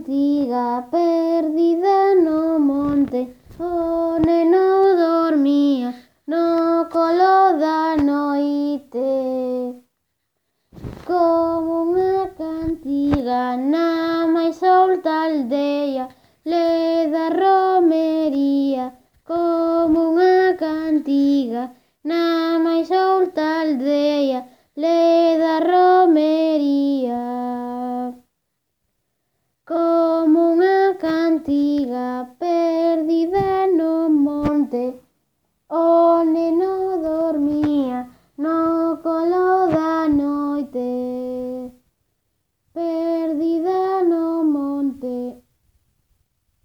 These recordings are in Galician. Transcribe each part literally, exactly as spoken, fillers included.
cantiga perdida no monte, o neno dormía no colo da noite. Como unha cantiga na máis solta aldea, leda romería. Como unha cantiga na máis solta aldea, leda romería. Como unha cantiga perdida no monte, o neno dormía no colo da noite. Perdida no monte,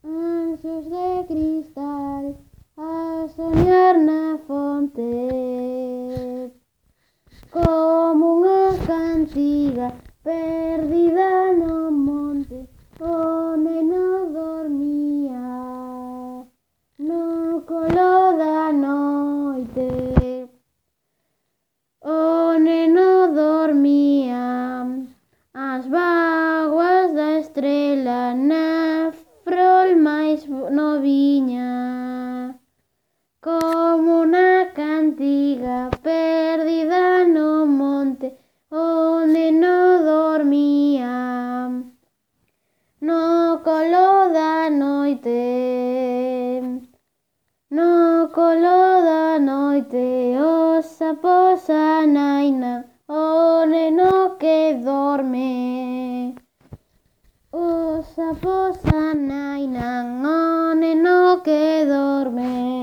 anxos de cristal a soñar na fonte. Como unha cantiga perdida no monte, o neno dormía no colo da noite. O neno dormía ás bágoas da estrela na frol máis noviña. Como unha cantiga perdida no monte, o neno dormía no colo da noite. No colo da noite os sapos anainan o neno que dorme. Os sapos anainan o neno que dorme.